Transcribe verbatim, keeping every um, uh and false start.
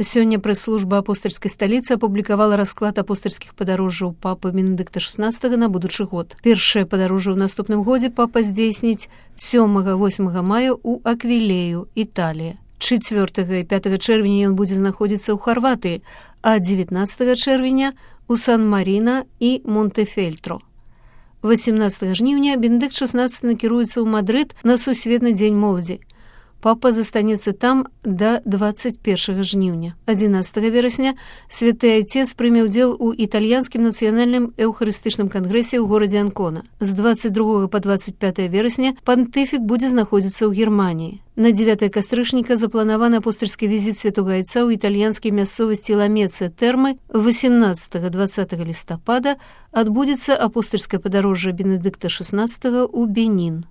Сёння прэс-служба апостальскай сталіцы апублікавала расклад апостальскіх падарожжаў папы Бенедыкта шаснаццатага на будучы год. Першае падарожжа ў наступным годзе папа здзейсніць сёмага-восьмага мая ў Аквілею, Італія. чацвёртага і пятага чэрвеня ён будзе знаходзіцца ў Харватыі, а дзевятнаццатага чэрвеня у Сан-Маріна і Монтэфельтро. васямнаццатага жніўня Бенедыкт шаснаццаты накіруецца ў Мадрыд на сусветны дзень моладзі. Папа застанецца там да дваццаць першага жніўня. адзінаццатага верасня святы айцец прыме ўдзел у італьянскім нацыянальным эўхарыстычным кангрэсе ў горадзе Анкона. З дваццаць другога па дваццаць пятае верасня пантыфік будзе знаходзіцца ў Германіі. На дзевятае кастрычніка запланаваны апостальскі візіт святога айца ў італьянскай мясцовасці Ламеца Тэрмы. васямнаццатага-дваццатага лістапада адбудзецца апостальскае падарожжа Бенедыкта шаснаццатага ў Бенін.